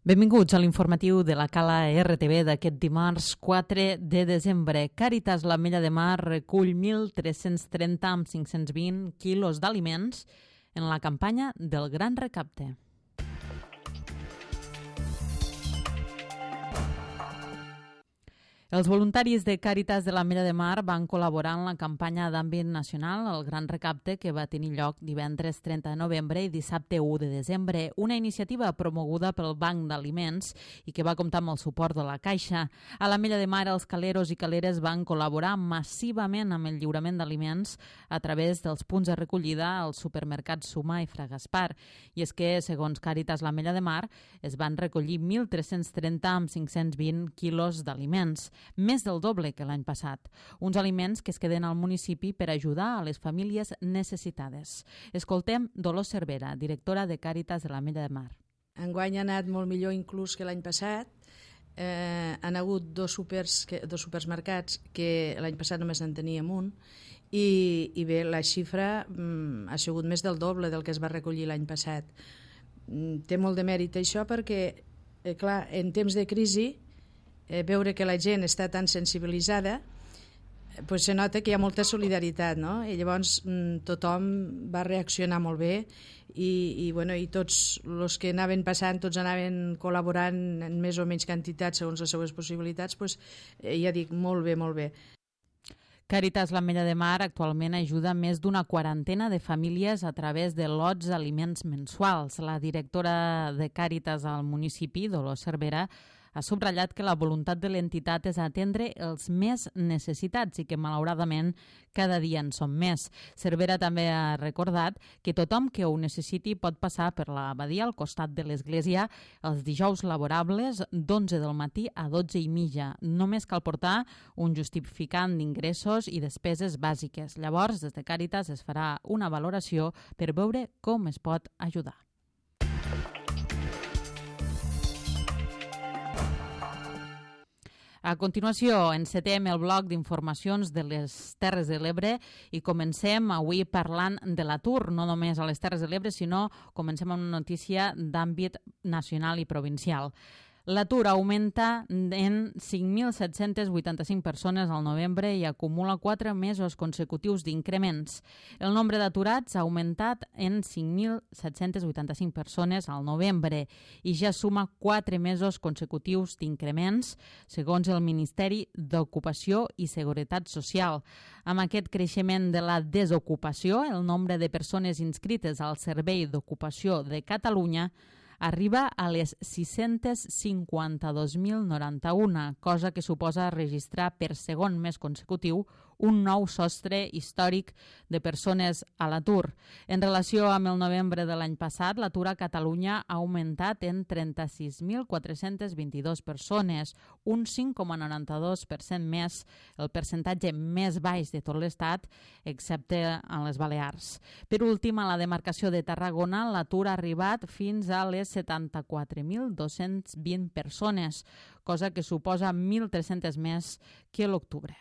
Benvinguts a l'informatiu de la Cala RTV d'aquest dimarts 4 de desembre. Càritas l'Ametlla de Mar recull 1.330 amb 520 quilos d'aliments en la campanya del Gran Recapte. Els voluntaris de Càritas de l'Ametlla de Mar van col·laborar en la campanya d'àmbit nacional El Gran Recapte, que va tenir lloc divendres 30 de novembre i dissabte 1 de desembre, una iniciativa promoguda pel Banc d'Aliments i que va comptar amb el suport de la Caixa. A l'Ametlla de Mar, els caleros i caleres van col·laborar massivament amb el lliurament d'aliments a través dels punts de recollida als supermercats Suma i Fra Gaspar. I és que, segons Càritas l'Ametlla de Mar, es van recollir 1.330 amb 520 quilos d'aliments, més del doble que l'any passat. Uns aliments que es queden al municipi per ajudar a les famílies necessitades. Escoltem Dolors Cervera, directora de Càritas de l'Ametlla de Mar. Enguany ha anat molt millor inclús que l'any passat. Han hagut dos supermercats que l'any passat només en teníem un i bé, la xifra ha sigut més del doble del que es va recollir l'any passat. Té molt de mèrit això perquè, clar, en temps de crisi, veure que la gent està tan sensibilitzada, se nota que hi ha molta solidaritat, no? I llavors tothom va reaccionar molt bé i tots els que anaven passant, tots anaven col·laborant en més o menys quantitat segons les seves possibilitats, ja dic, molt bé, molt bé. Càritas l'Ametlla de Mar actualment ajuda més d'una quarantena de famílies a través de lots d'aliments mensuals. La directora de Càritas al municipi, Dolors Cervera, ha subratllat que la voluntat de l'entitat és atendre els més necessitats i que, malauradament, cada dia en són més. Cervera també ha recordat que tothom que ho necessiti pot passar per l'abadia al costat de l'església els dijous laborables d'11 del matí a 12:30. Només cal portar un justificant d'ingressos i despeses bàsiques. Llavors, des de Càritas es farà una valoració per veure com es pot ajudar. A continuació, encetem el bloc d'informacions de les Terres de l'Ebre i comencem avui parlant de l'atur, no només a les Terres de l'Ebre, sinó comencem amb una notícia d'àmbit nacional i provincial. L'atur augmenta en 5.785 persones al novembre i acumula 4 mesos consecutius d'increments. El nombre d'aturats ha augmentat en 5.785 persones al novembre i ja suma 4 mesos consecutius d'increments, segons el Ministeri d'Ocupació i Seguretat Social. Amb aquest creixement de la desocupació, el nombre de persones inscrites al Servei d'Ocupació de Catalunya arriba a les 652.091, cosa que suposa registrar per segon mes consecutiu un nou sostre històric de persones a l'atur. En relació amb el novembre de l'any passat, l'atur a Catalunya ha augmentat en 36.422 persones, un 5,92% més, el percentatge més baix de tot l'Estat, excepte en les Balears. Per últim, a la demarcació de Tarragona, l'atur ha arribat fins a les 74.220 persones, cosa que suposa 1.300 més que l'octubre.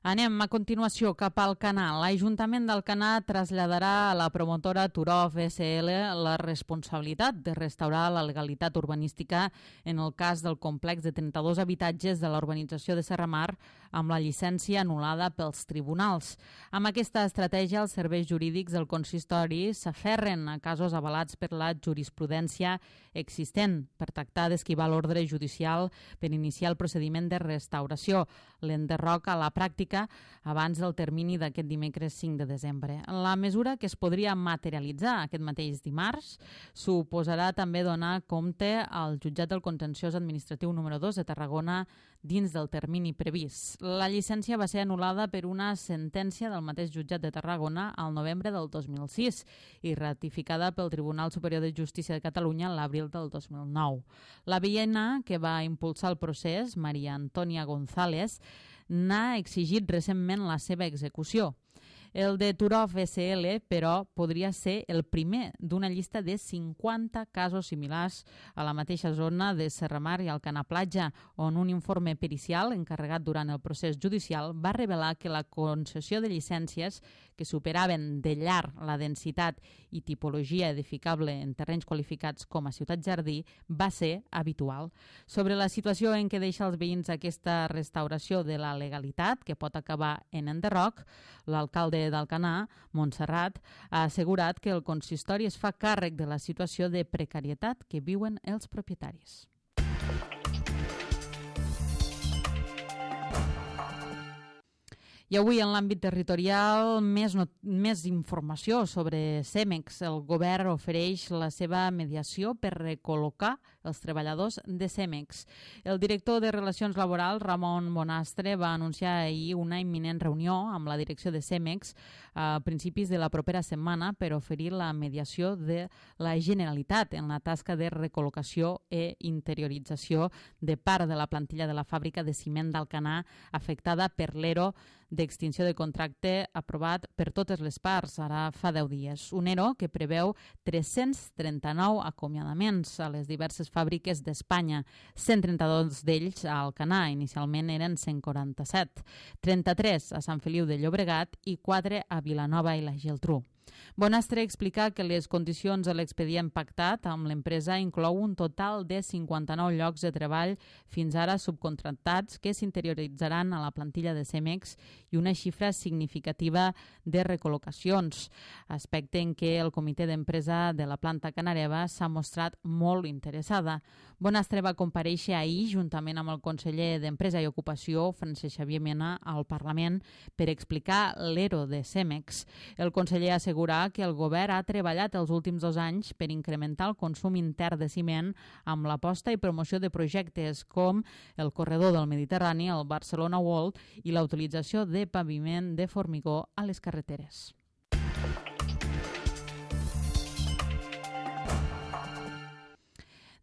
Anem a continuació cap al Canà. L'Ajuntament d'Alcanar traslladarà a la promotora Turov SL la responsabilitat de restaurar la legalitat urbanística en el cas del complex de 32 habitatges de la urbanització de Serramar amb la llicència anul·lada pels tribunals. Amb aquesta estratègia, els serveis jurídics del consistori s'aferren a casos avalats per la jurisprudència existent per tractar d'esquivar l'ordre judicial per iniciar el procediment de restauració. L'enderroca a la pràctica abans del termini d'aquest dimecres 5 de desembre. La mesura, que es podria materialitzar aquest mateix dimarts, suposarà també donar compte al jutjat del contenciós administratiu número 2 de Tarragona dins del termini previst. La llicència va ser anul·lada per una sentència del mateix jutjat de Tarragona al novembre del 2006 i ratificada pel Tribunal Superior de Justícia de Catalunya l'abril del 2009. La veïna que va impulsar el procés, Maria Antònia González, n'ha exigit recentment la seva execució. El de Turov SL, però, podria ser el primer d'una llista de 50 casos similars a la mateixa zona de Serramar i Alcanar Platja, on un informe pericial encarregat durant el procés judicial va revelar que la concessió de llicències que superaven de llarg la densitat i tipologia edificable en terrenys qualificats com a ciutat jardí va ser habitual. Sobre la situació en què deixa els veïns aquesta restauració de la legalitat, que pot acabar en enderroc, l'alcalde d'Alcanar, Montserrat, ha assegurat que el consistori es fa càrrec de la situació de precarietat que viuen els propietaris. I avui, en l'àmbit territorial, més informació sobre Cemex. El govern ofereix la seva mediació per recol·locar els treballadors de Cemex. El director de Relacions Laborals, Ramon Bonastre, va anunciar ahir una imminent reunió amb la direcció de Cemex a principis de la propera setmana per oferir la mediació de la Generalitat en la tasca de recol·locació i interiorització de part de la plantilla de la fàbrica de ciment d'Alcanar afectada per l'ERO d'extinció de contracte aprovat per totes les parts, ara fa 10 dies. Un ERO que preveu 339 acomiadaments a les diverses fàbriques d'Espanya, 132 d'ells a Alcanar, inicialment eren 147, 33 a Sant Feliu de Llobregat i 4 a Vilanova i la Geltrú. Bonastre explica que les condicions de l'expedient pactat amb l'empresa inclou un total de 59 llocs de treball fins ara subcontractats que s'interioritzaran a la plantilla de Cemex i una xifra significativa de recol·locacions, aspecte en què el comitè d'empresa de la planta canareva s'ha mostrat molt interessada. Bonastre va comparèixer ahir juntament amb el conseller d'Empresa i Ocupació, Francesc Xavier Mena, al Parlament per explicar l'ERO de Cemex. El conseller assegurar que el govern ha treballat els últims 2 anys per incrementar el consum intern de ciment amb l'aposta i promoció de projectes com el corredor del Mediterrani, el Barcelona World i la utilització de paviment de formigó a les carreteres.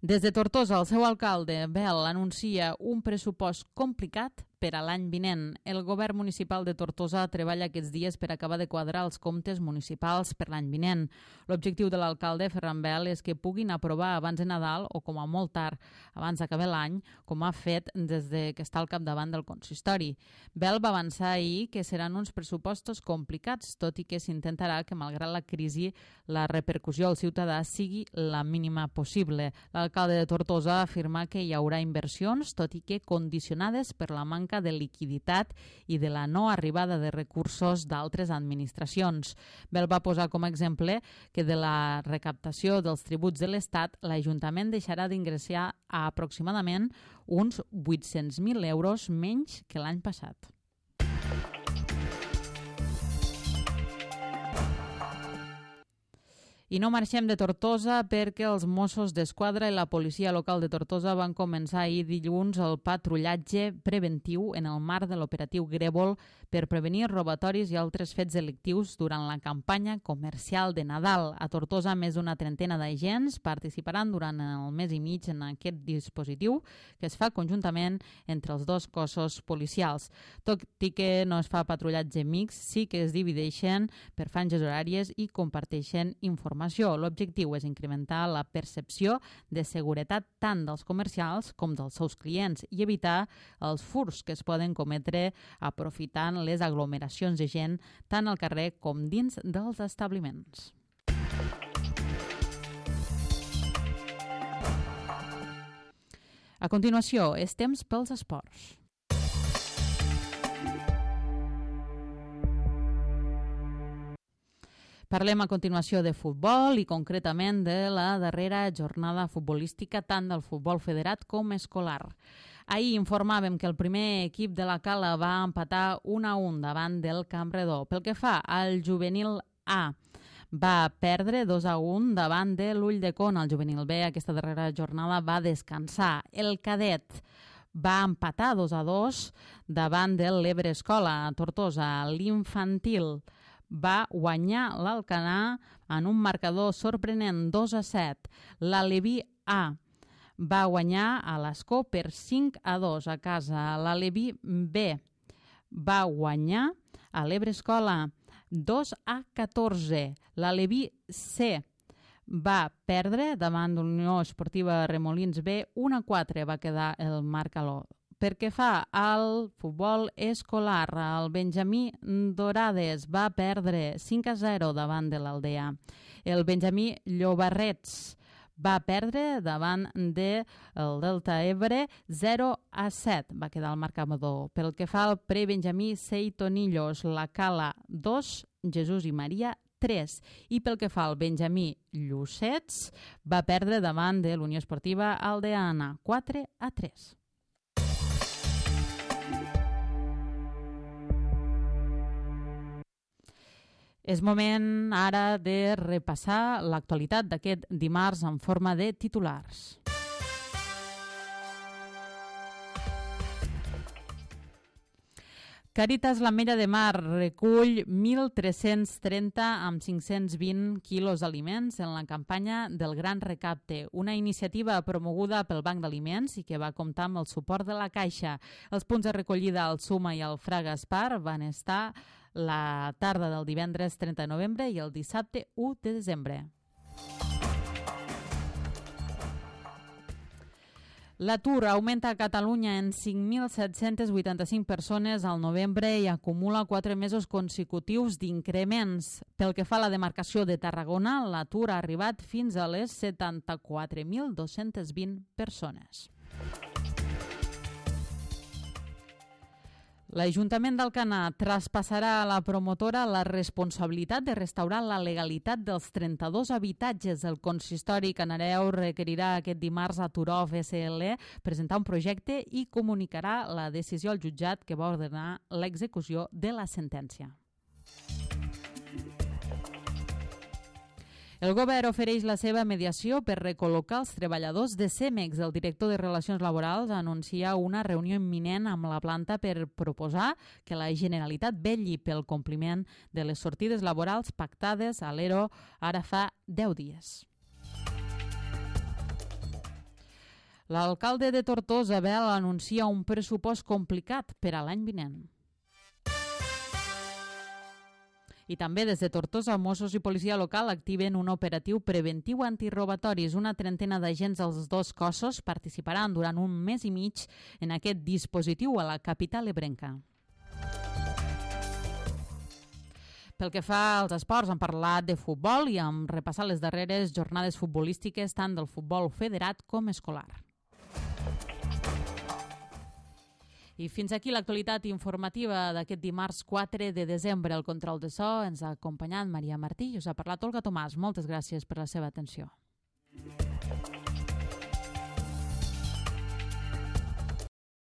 Des de Tortosa, el seu alcalde, Bel, anuncia un pressupost complicat per a l'any vinent. El govern municipal de Tortosa treballa aquests dies per acabar de quadrar els comptes municipals per l'any vinent. L'objectiu de l'alcalde, Ferran Bel, és que puguin aprovar abans de Nadal o com a molt tard, abans d'acabar l'any, com ha fet des de que està al capdavant del consistori. Bel va avançar ahir que seran uns pressupostos complicats, tot i que s'intentarà que, malgrat la crisi, la repercussió al ciutadà sigui la mínima possible. L'alcalde de Tortosa afirma que hi haurà inversions, tot i que condicionades per la manca de liquiditat i de la no arribada de recursos d'altres administracions. Bel va posar com a exemple que de la recaptació dels tributs de l'Estat l'Ajuntament deixarà d'ingressar a aproximadament uns 800.000 euros menys que l'any passat. I no marxem de Tortosa perquè els Mossos d'Esquadra i la policia local de Tortosa van començar ahir dilluns el patrullatge preventiu en el marc de l'operatiu Grèvol per prevenir robatoris i altres fets delictius durant la campanya comercial de Nadal. A Tortosa, més d'una trentena d'agents participaran durant el mes i mig en aquest dispositiu que es fa conjuntament entre els dos cossos policials. Tot i que no es fa patrullatge mixt, sí que es divideixen per franges horàries i comparteixen informació. L'objectiu és incrementar la percepció de seguretat tant dels comercials com dels seus clients i evitar els furts que es poden cometre aprofitant les aglomeracions de gent tant al carrer com dins dels establiments. A continuació, és temps pels esports. Parlem a continuació de futbol i concretament de la darrera jornada futbolística tant del futbol federat com escolar. Ahir informàvem que el primer equip de la Cala va empatar 1-1 davant del Campredó. Pel que fa al juvenil A, va perdre 2-1 davant de l'Ulldecona. El juvenil B aquesta darrera jornada va descansar. El cadet va empatar 2-2 davant de l'Ebre Escola a Tortosa. L'infantil va guanyar l'Alcanar en un marcador sorprenent 2-7. L'Aleví A va guanyar a l'Escó per 5-2 a casa. L'Aleví B va guanyar a l'Ebre Escola 2-14. L'Aleví C va perdre davant l'Unió Esportiva Remolins B, 1-4 va quedar el marcador. Per què fa al futbol escolar, el Benjamí Dorades va perdre 5-0 davant de l'Aldea. El Benjamí Llobarrets va perdre davant del Delta Ebre 0-7, va quedar el marcador. Pel que fa al pre-Benjamí Seitonillos, la Cala 2, Jesús i Maria 3. I pel que fa al Benjamí Llucets, va perdre davant de l'Unió Esportiva Aldeana 4-3. És moment ara de repassar l'actualitat d'aquest dimarts en forma de titulars. Càritas l'Ametlla de Mar recull 1.330 amb 520 quilos d'aliments en la campanya del Gran Recapte, una iniciativa promoguda pel Banc d'Aliments i que va comptar amb el suport de la Caixa. Els punts de recollida al Suma i al Fra Gaspar van estar la tarda del divendres 30 de novembre i el dissabte 1 de desembre. L'atur augmenta a Catalunya en 5.785 persones al novembre i acumula 4 mesos consecutius d'increments. Pel que fa a la demarcació de Tarragona, l'atur ha arribat fins a les 74.220 persones. L'Ajuntament d'Alcanar traspassarà a la promotora la responsabilitat de restaurar la legalitat dels 32 habitatges. El consistori canareu requerirà aquest dimarts a Turov SL presentar un projecte i comunicarà la decisió al jutjat que va ordenar l'execució de la sentència. El govern ofereix la seva mediació per recol·locar els treballadors de CEMEX. El director de Relacions Laborals anuncia una reunió imminent amb la planta per proposar que la Generalitat vetlli pel compliment de les sortides laborals pactades a l'ERO ara fa 10 dies. L'alcalde de Tortosa, Bel, anuncia un pressupost complicat per a l'any vinent. I també des de Tortosa, Mossos i policia local activen un operatiu preventiu antirrobatoris. Una trentena d'agents dels dos cossos participaran durant un mes i mig en aquest dispositiu a la capital ebrenca. Pel que fa als esports, hem parlat de futbol i hem repassat les darreres jornades futbolístiques tant del futbol federat com escolar. I fins aquí l'actualitat informativa d'aquest dimarts 4 de desembre. El control de so ens ha acompanyat Maria Martí i us ha parlat Olga Tomàs. Moltes gràcies per la seva atenció.